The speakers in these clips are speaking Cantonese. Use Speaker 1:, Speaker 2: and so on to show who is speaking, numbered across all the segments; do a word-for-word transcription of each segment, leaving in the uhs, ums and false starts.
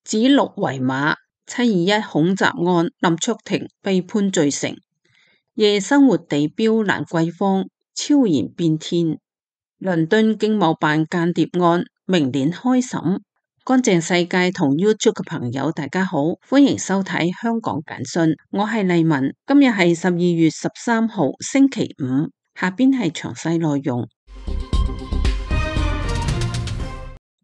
Speaker 1: 指鹿為馬，七二一恐襲案，林卓廷被判罪成。夜生活地標蘭桂坊超然變天。倫敦經貿辦間諜案明年開審。乾淨世界同 YouTube 嘅朋友大家好，歡迎收睇香港簡訊，我係麗文。今日係十二月十三號星期五，下邊係詳細內容。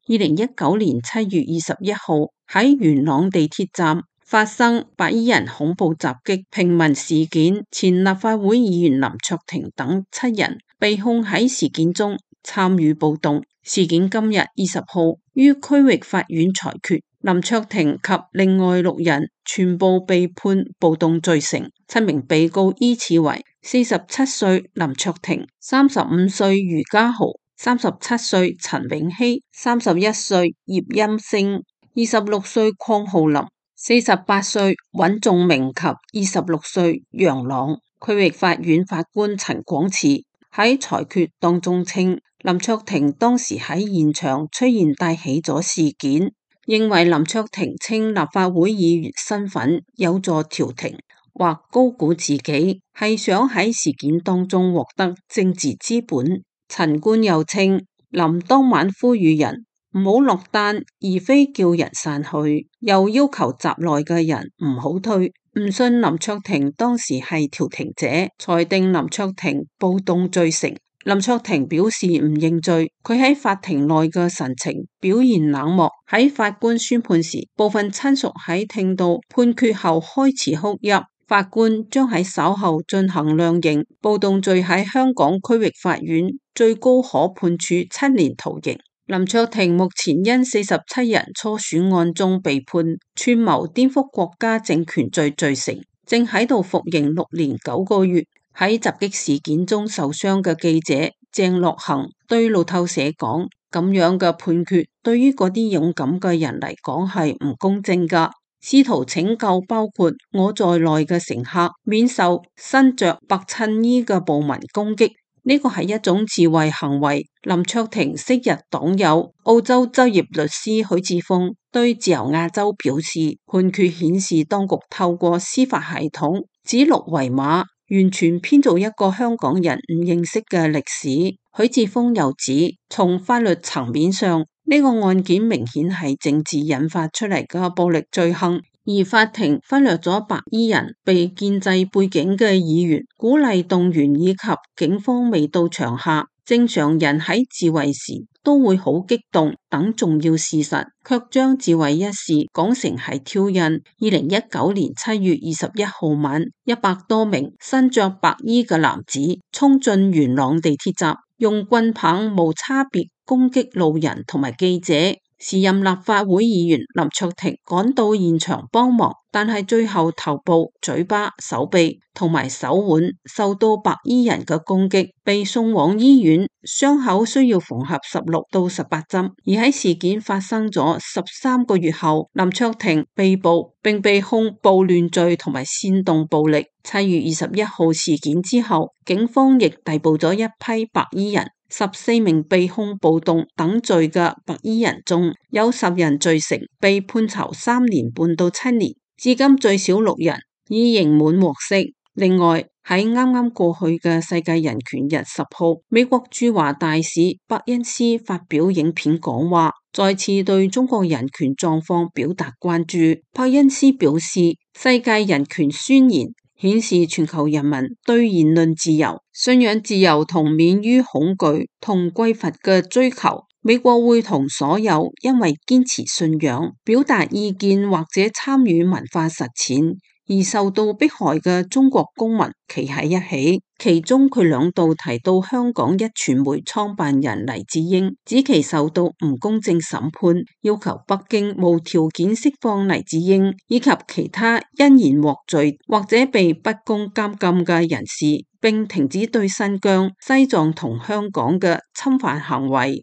Speaker 1: 二零一九年七月二十一號喺元朗地鐵站發生白衣人恐怖襲擊平民事件，前立法會議員林卓廷等七人被控喺事件中參與暴動。事件今日二十號於區域法院裁決，林卓廷及另外六人全部被判暴動罪成。七名被告依次為四十七歲林卓廷、三十五歲余家豪、三十七歲陳永熙、三十一歲葉欽星、二十六歲鄺浩林、四十八歲尹仲明及二十六歲楊朗。區域法院法官陳廣慈喺裁決當中稱，林卓廷當時喺現場出現帶起咗事件，認為林卓廷稱立法會議員身份有助調停或高估自己，係想喺事件當中獲得政治資本。陳官又稱，林當晚呼籲人唔好落單，而非叫人散去，又要求閘內嘅人唔好退，唔信林卓廷當時係調停者，裁定林卓廷暴動罪成。林卓廷表示唔認罪，佢喺法庭內嘅神情表現冷漠。喺法官宣判時，部分親屬喺聽到判決後開始哭泣。法官將喺稍後進行量刑。暴動罪喺香港區域法院最高可判處七年徒刑。林卓廷目前因四十七人初選案中被判串謀顛覆國家政權罪罪成，正喺度服刑六年九個月。喺襲擊事件中受傷嘅記者鄭樂恆對路透社講，咁樣嘅判決對於嗰啲勇敢嘅人嚟講係唔公正㗎。試圖拯救包括我在內嘅乘客免受身着白襯衣嘅暴民攻擊，呢個係一種自衛行為。林卓廷昔日黨友澳洲執業律師許智峰對自由亞洲表示，判決顯示當局透過司法系統指鹿為馬，完全編造一個香港人唔認識嘅歷史。許智峰又指，從法律層面上，呢個案件明顯係政治引發出嚟嘅暴力罪行，而法庭忽略咗白衣人被建制背景嘅議員鼓勵動員以及警方未到場下正常人喺自衛時都會好激動等重要事實，卻將自衛一事講成係挑釁。二零一九年七月二十一號晚，一百多名身着白衣嘅男子衝進元朗地鐵站，用棍棒無差別攻擊路人同埋記者。時任立法會議員林卓廷趕到現場幫忙，但係最後頭部、嘴巴、手臂同埋手腕受到白衣人嘅攻擊，被送往醫院，傷口需要縫合十六到十八針。而喺事件發生咗十三個月後，林卓廷被捕並被控暴亂罪同埋煽動暴力。七月二十一號事件之後，警方亦逮捕咗一批白衣人。十四名被控暴動等罪嘅白衣人中，有十人罪成，被判囚三年半到七年。至今最少六人已刑滿獲釋。另外喺啱啱過去嘅世界人權日十號，美國駐華大使伯恩斯發表影片講話，再次對中國人權狀況表達關注。伯恩斯表示，世界人權宣言顯示全球人民對言論自由、信仰自由同免於恐懼同匱乏嘅追求。美國會同所有因為堅持信仰、表達意見或者參與文化實踐而受到迫害嘅中國公民企喺一起。其中佢兩度提到香港一傳媒創辦人黎智英，指其受到唔公正審判，要求北京無條件釋放黎智英以及其他因言獲罪或者被不公監禁嘅人士，並停止對新疆、西藏同香港嘅侵犯行為。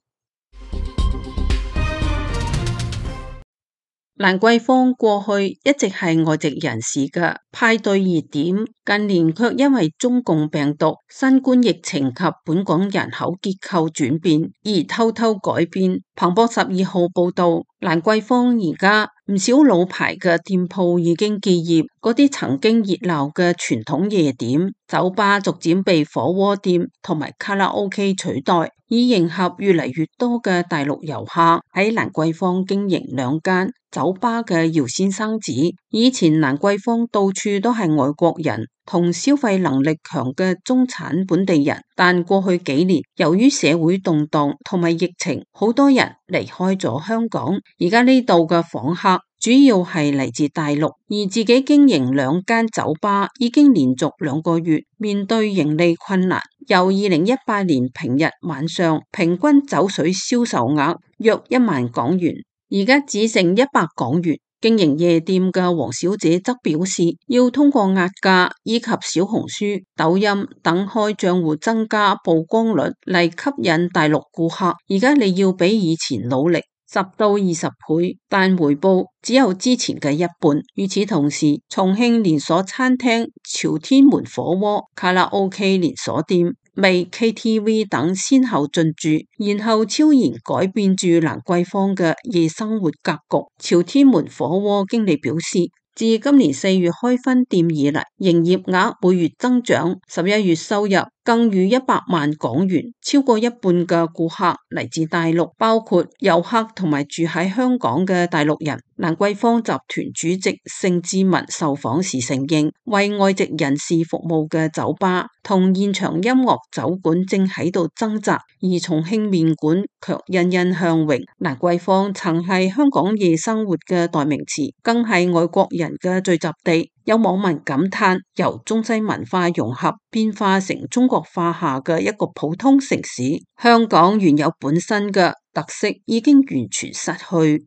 Speaker 1: 蘭桂坊過去一直係外籍人士嘅派對熱點，近年卻因為中共病毒、新冠疫情及本港人口結構轉變而偷偷改變。彭博十二號報道，蘭桂坊而家唔少老牌嘅店鋪已經結業，嗰啲曾經熱鬧嘅傳統夜店、酒吧逐漸被火鍋店同埋卡拉 OK 取代，以迎合越嚟越多嘅大陸遊客。喺蘭桂坊經營兩間酒吧嘅姚先生指，以前蘭桂坊到處都係外國人同消費能力強嘅中產本地人，但過去幾年由於社會動盪同埋疫情，好多人離開咗香港，而家呢度嘅訪客主要係嚟自大陸，而自己經營兩間酒吧已經連續兩個月面對盈利困難，由二零一八年平日晚上平均酒水銷售額約一萬港元，而家只剩一百港元。經營夜店嘅黃小姐則表示，要通過壓價以及小紅書、抖音等開賬戶增加曝光率嚟吸引大陸顧客。而家你要比以前努力十到二十倍，但回報只有之前嘅一半。與此同時，重慶連鎖餐廳朝天門火鍋、卡拉 OK 連鎖店、味 K T V 等先後進駐，然後悄然改變住蘭桂坊嘅夜生活格局。朝天門火鍋經理表示，自今年四月開分店以嚟，營業額每月增長，十一月收入更逾一百萬港元，超過一半嘅顧客嚟自大陸，包括遊客同埋住喺香港嘅大陸人。蘭桂坊集團主席盛智文受訪時承認，為外籍人士服務嘅酒吧同現場音樂酒館正喺度掙扎，而重慶麵館卻欣欣向榮。蘭桂坊曾係香港夜生活嘅代名詞，更係外國人嘅聚集地。有網民感嘆，由中西文化融合變化成中國化下嘅一個普通城市，香港原有本身嘅特色已經完全失去。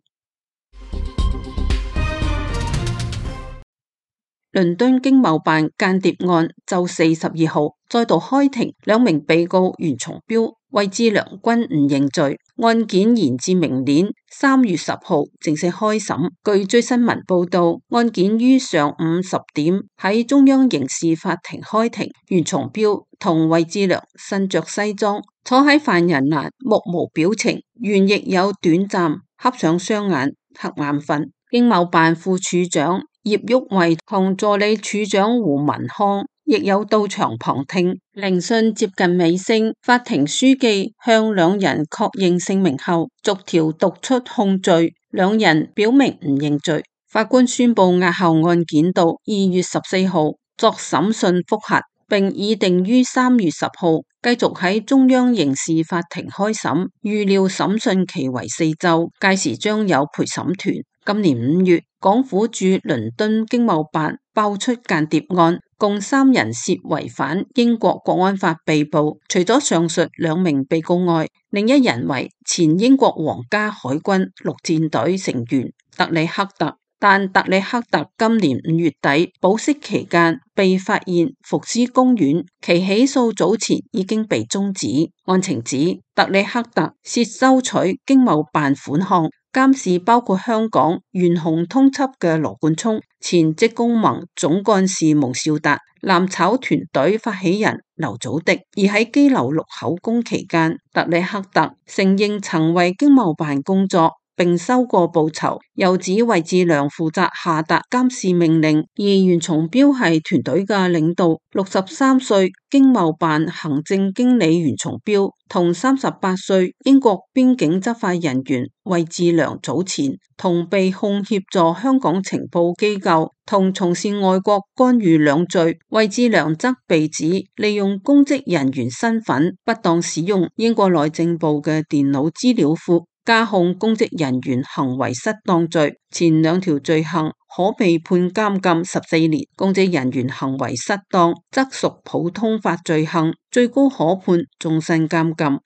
Speaker 1: 倫敦經貿辦間諜案就四十二號再度開庭，兩名被告袁松標、魏志良均唔認罪，案件延至明年三月十號正式開審。據追新聞報道，案件於上午十點喺中央刑事法庭開庭，袁松標同魏志良身着西裝，坐喺犯人欄，目無表情，袁亦有短暫瞌上雙眼，瞌眼瞓。經貿辦副處長葉旭慧同助理處長胡文康亦有到場旁聽。聆訊接近尾聲，法庭書記向兩人確認姓名後，逐條讀出控罪，兩人表明唔認罪。法官宣布押後案件到二月十四號作審訊複核，並擬定於三月十號繼續喺中央刑事法庭開審，預料審訊期為四週，屆時將有陪審團。今年五月，港府駐倫敦經貿辦爆出間諜案，共三人涉違反英國國安法被捕。除咗上述兩名被告外，另一人為前英國皇家海軍陸戰隊成員特里克特。但特里克特今年五月底保釋期間被發現伏屍公園，其起訴早前已經被終止。案情指特里克特涉收取經貿辦款項，監視包括香港懸紅通緝嘅羅冠聰、前職工盟總幹事蒙兆達、攬炒團隊發起人劉祖迪。而喺羈留錄口供期間，特里克特承認曾為經貿辦工作，並收過報酬，又指魏志良負責下達監視命令，而袁松標係團隊嘅領導。六十三歲經貿辦行政經理袁松標同三十八歲英國邊境執法人員魏志良早前同被控協助香港情報機構同從事外國干預兩罪，魏志良則被指利用公職人員身份不當使用英國內政部嘅電腦資料庫，加控公職人員行為失當罪，前兩條罪行可被判監禁十四年。公職人員行為失當則屬普通法罪行，最高可判終身監禁。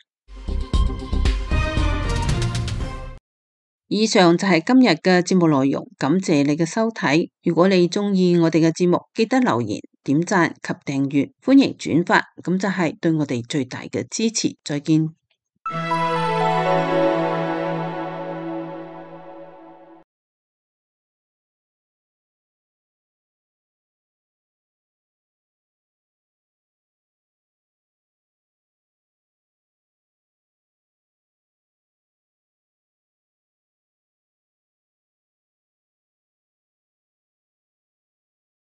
Speaker 1: 以上就係今日嘅節目內容，感謝你嘅收睇。如果你鍾意我哋嘅節目，記得留言、點讚及訂閱，歡迎轉發，咁就係對我哋最大嘅支持。再見。